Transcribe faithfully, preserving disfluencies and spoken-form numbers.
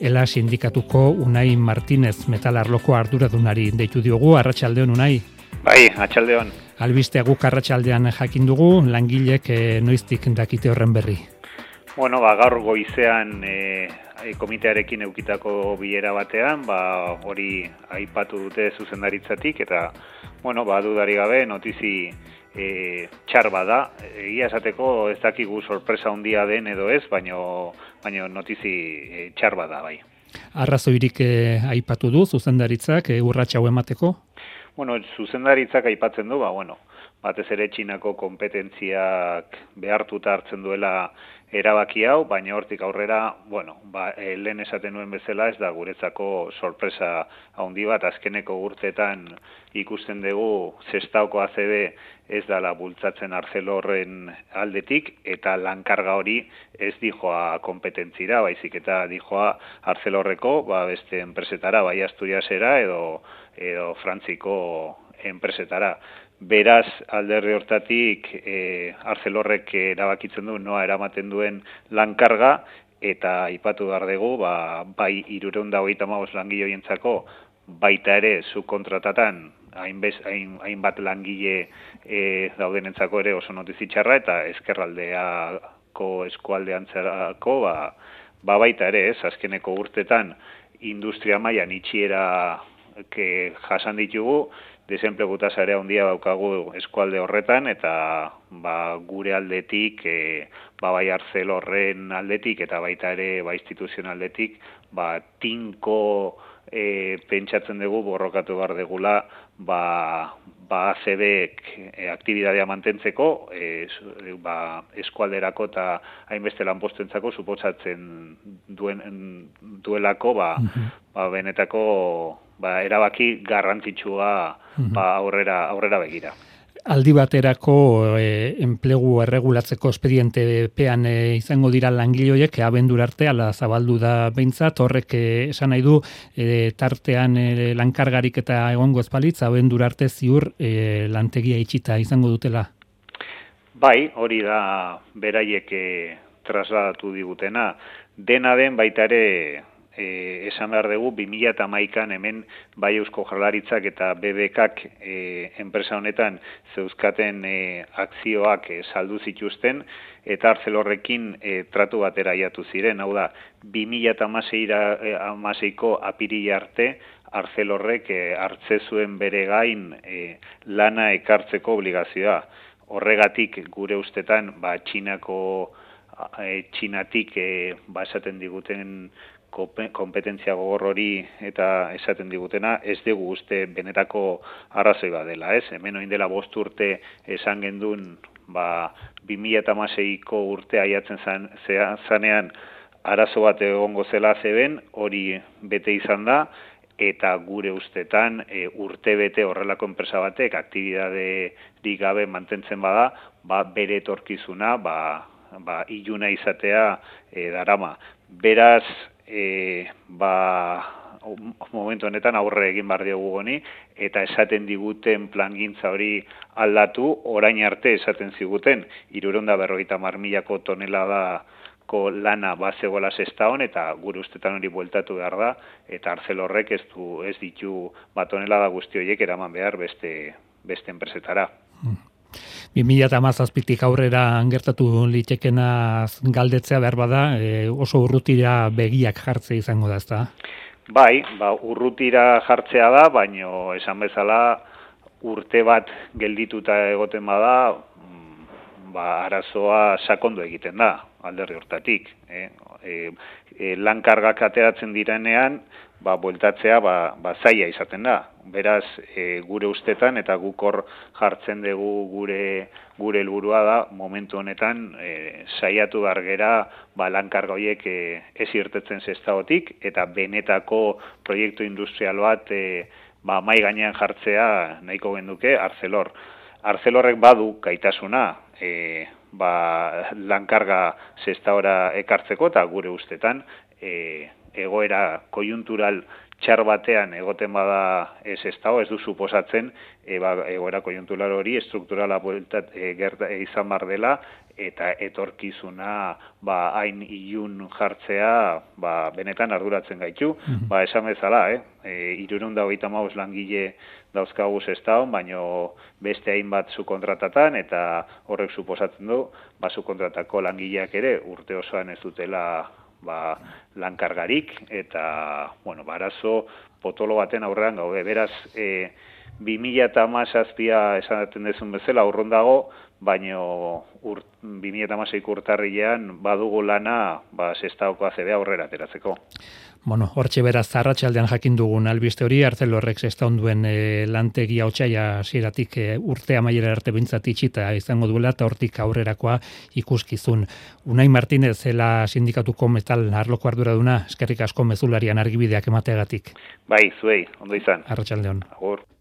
Ela sindikatuko Unai Martinez metalarloko arduradunari deitu diogu. Arratsaldeon, Unai. Bai, arratsaldeon. Albistea guk arratsaldean jakin dugu, langilek e, noiztik dakite horren berri. Bueno, ba, gaur goizean e, komitearekin eukitako bilera batean, ba, hori aipatu dute zuzendaritzatik, eta, bueno, ba, dudari gabe, notizi e, txar bada. Egia esateko ez dakigu sorpresa handia den edo ez, baino, baino notizi e, txar bada, bai. Arrazoirik e, aipatu du zuzendaritzak e, urrats hau emateko? Bueno, zuzendaritzak aipatzen du, ba, bueno, batez ere Txinako kompetentziak behartuta hartzen duela erabaki hau, baina hortik aurrera, bueno, ba, e, lehen esaten nuen bezala ez da guretzako sorpresa handi bat, azkeneko urteetan ikusten dugu Sestaoko A C B ez dala bultzatzen Arcelorren aldetik, eta lankarga hori ez dijoa kompetentzira, baizik eta dijoa Arcelorreko, ba, beste enpresetara, bai Asturiasera edo, edo Frantziko enpresetara. Beraz, alderdi hortatik, e, Arcelorrek erabakitzen du, noa eramaten duen lankarga, eta aipatu behar dugu, ba, bai hirurehun eta hogeita hamabost langile baita ere subkontratatan hainbat hain, hain langile e, daudenentzako ere oso notizitxarra, eta ezkerraldeako eskualdeantzarako, ba, ba baita ere, ez, azkeneko urtetan industria mailan itxiera ke jasan ditugu, desenplegu tasa ere handia daukagu eskualde horretan, eta ba, gure aldetik, e, ba, bai Arcelorren aldetik, eta baita ere ba, instituzionaldetik, ba, tinko e, pentsatzen dugu borrokatu behar degula, ba, ba A C B-ek e, aktibidadea mantentzeko, e, ba, eskualderako eta hainbeste lanpostentzako suposatzen duen, duelako, ba, ba, benetako ba, erabaki garrantzitsua ba, aurrera, aurrera begira. Aldi baterako e, enplegu erregulatzeko espedientepean e, izango dira langileoiek abendura arte ala zabaldu da behintzat, horrek e, esan nahi du e, tartean e, lankargarik eta egongo ezpalitz abendura arte ziur e, lantegia itxita izango dutela. Bai, hori da beraiek e, trasladatu digutena. Dena den baita ere E, esan behar dugu, bi mila hamaikan hemen bai Eusko Jaurlaritzak eta B B Kak e, enpresa honetan zeuzkaten e, akzioak e, saldu zituzten, eta Arcelorrekin e, tratu batera aiatu ziren. Hau da, bi mila hamaseiko apirila arte, Arcelorrek e, hartze zuen bere gain e, lana ekartzeko obligazioa. Horregatik gure ustetan, ba, Txinako, e, Txinatik e, ba, esaten diguten kompetentzia gogor hori eta esaten digutena, ez dugu uste benetako arrazoi bat dela, ez? Hemen oin dela bost urte esan gendun, ba, bi mila hamaseiko urte aiatzen zan, zanean arazo bat egongo zela zeben, hori bete izan da, eta gure ustetan e, urte bete horrelako enpresa batek aktibidaderik gabe mantentzen bada, ba, bere etorkizuna, ba, ba, iluna izatea e, darama. Beraz, E, ba, momentu honetan aurre egin behar diogu honi, eta esaten diguten plangintza hori aldatu, orain arte esaten ziguten, hirurehun eta berrogeita hamar milako toneladako lana bazegoela Sestaon, eta gure ustetan hori bueltatu behar da, eta Arcelorrek ez, du, ez ditu ba, tonelada guzti horiek eraman behar beste, beste enpresetara. bi mila hamazazpitik aurrera gertatu litekena galdetzea behar bada, e, oso urrutira begiak jartzea izango da, ezta? Bai, ba, urrutira jartzea da, baino esan bezala urte bat geldituta egoten bada, ba, arazoa sakondu egiten da, alderri hortatik. Eh? E, e, lankargak ateratzen direnean, ba, bueltatzea ba, ba, zaila izaten da. Beraz, e, gure ustetan eta guk hor jartzen dugu gure gure helburua da momentu honetan e, saiatu behar gera ba, lankarga horiek e, ez irtetzen Sestaotik, eta benetako proiektu industrial bat e, ba, mai gainean jartzea nahiko genduke Arcelor. Arcelorrek badu gaitasuna e, ba, lankarga Sestaora ekartzeko, eta gure ustetan e, egoera koiuntural txar batean egoten bada ez ez dago, ez du suposatzen e, ba, egoera konjunktural hori estrukturala bueltat e, gerta e, izan bar dela eta etorkizuna ba hain ilun jartzea ba benetan arduratzen gaitu. Mm-hmm. Ba esan bezala, eh, e, hirurehun eta hogeita hamabost langile dauzkagu Sestaon, baino beste hainbat subkontratatan eta horrek suposatzen du ba subkontratako langileak ere urte osoan ez dutela ba lankargarik eta bueno, barazo potolo baten aurrean gaude. Beraz, e, bi mila hamazazpia esaten dezun bezala urrun dago, baino ur, bi mila hamaseiko urtarrilean badugu lana ba Sestaoko A C B aurrera ateratzeko. Bueno, hortxe beraz arratsaldean jakin dugun albiste hori Arcelorrek Sestaon duen e, lantegia otsaila hasieratik e, urte amaiera arte behintzat itxita izango duela eta hortik aurrerakoa ikuskizun. Unai Martinez zela sindikatuko metal arloko arduraduna, eskerrik asko mezularian argibideak emateagatik. Bai, zuei, ondo izan. Arratsaldeon. Agur.